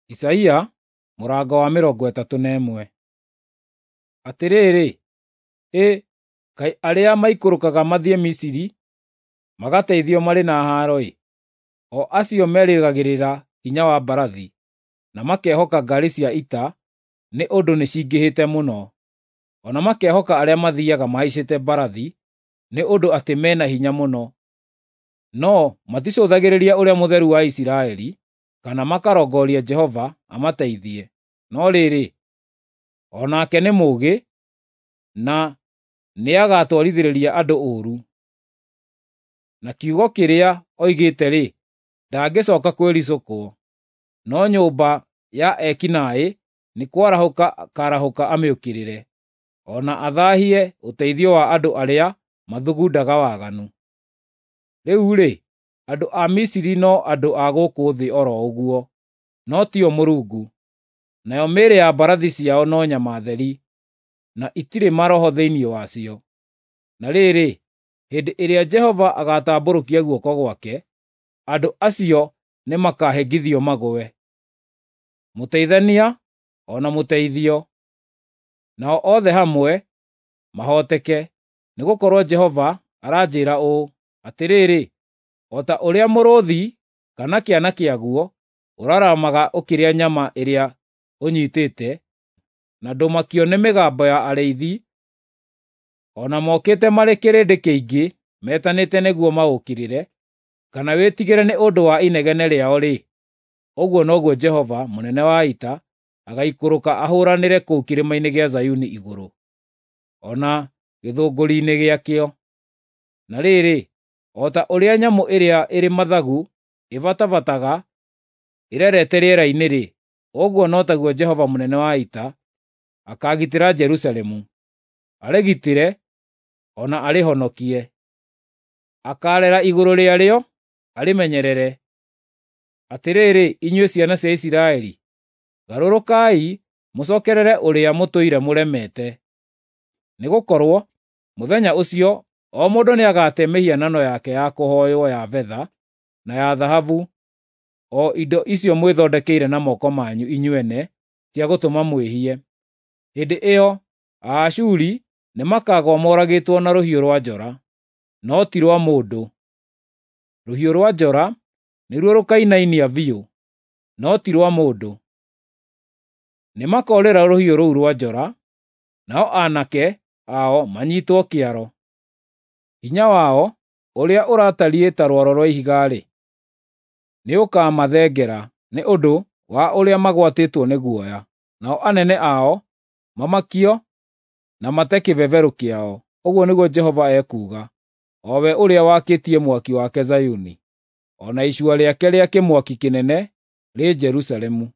Isaia mũrango wa 31. Atĩrĩrĩ, ĩ kaĩ arĩa maikũrũkaga mathiĩ Misiri magateithio marĩ na haaro-ĩ! O acio merĩgagĩrĩra hinya wa mbarathi, na makehoka ngaari cia ita nĩ ũndũ nĩcingĩhĩte mũno, o na makehoka arĩa mathiiaga mahaicĩte mbarathi nĩ ũndũ atĩ me na hinya mũno. No maticũthagĩrĩria Ũrĩa Mũtheru wa Isiraeli, kana makarongoria Jehova amateithie. No rĩrĩ, o nake nĩ mũũgĩ, na nĩagatwarithĩria andũ ũũru. Na kiugo kĩrĩa oigĩte-rĩ, ndangĩcooka kwĩricũkwo. No nyũmba ya eki naaĩ nĩ kwarahũka akaarahũka amĩũkĩrĩre, o na athaahie ũteithio wa andũ arĩa mathugundaga waganu. Rĩu-rĩ, andũ a Misiri no andũ a gũkũ thĩ o ro ũguo, no tio Mũrungu. Nayo mĩĩrĩ ya mbarathi ciao no nyama theri, na itirĩ maroho thĩinĩ wacio. Na rĩrĩ, hĩndĩ ĩrĩa Jehova agaatambũrũkia guoko gwake, andũ acio nĩmakahĩngithio magũe, mũteithania o na mũteithio, nao othe hamwe mahooteke. Nĩgũkorwo Jehova aranjĩĩra ũũ: Atĩrĩrĩ, o ta ũrĩa mũrũũthi kana kĩana kĩaguo ũraramaga ũkĩrĩa nyama ĩrĩa ũnyiitĩte, na ndũmakio nĩ mĩgambo ya arĩithi, o na mokĩte marĩ kĩrĩndĩ kĩingĩ metanĩte nĩguo maũũkĩrĩre, kana wĩtigĩre nĩ ũndũ wa inegene rĩao-rĩ, ũguo noguo Jehova, mũnene wa ita, agaikũrũka ahũũranĩre kũu kĩrĩma-inĩ gĩa Zayuni igũrũ, o na gĩthũngũri-inĩ gĩakĩo. Na rĩrĩ, o ta ũrĩa nyamũ ĩrĩa ĩrĩ mathagu ĩbatabataga ĩrerete rĩera-inĩ-rĩ, ũguo no taguo Jehova mũnene wa ita akaagitĩra Jerusalemu, arĩgitĩre o na arĩhonokie. Akaarera igũrũ rĩarĩo, arĩmenyerere. Atĩrĩrĩ, inyuĩ ciana cia Isiraeli, garũrũkai mũcookerere ũrĩa mũtũire mũremete. Nĩgũkorwo mũthenya ũcio o mũndũ nĩagate mĩhianano yake ya kũhooywo ya betha na ya thahabu, o indo icio mwĩthondekeire na moko manyu inyuene cia gũtũma mwĩhie. Hĩndĩ ĩyo Aashuri nĩmakagũa moragĩtwo na rũhiũ rwa njora, no ti rwa mũndũ. Rũhiũ rwa njora nĩruo rũkainainia biũ, no ti rwa mũndũ. Nĩmakoorĩra rũhiũ rũu rwa njora, nao aanake ao manyiitwo kĩaro. Hinya wao, ũrĩa ũratariĩ ta rwaro rwa ihiga-rĩ, nĩũkamathengera nĩ ũndũ wa ũrĩa magwatĩtwo nĩ guoya, nao anene ao mamakio na mate kĩbeberũ kĩao, ũguo nĩguo Jehova ekuuga, o we ũrĩa wakĩtie mwaki wake Zayuni, o na icua rĩake rĩa kĩmwaki kĩnene rĩ Jerusalemu.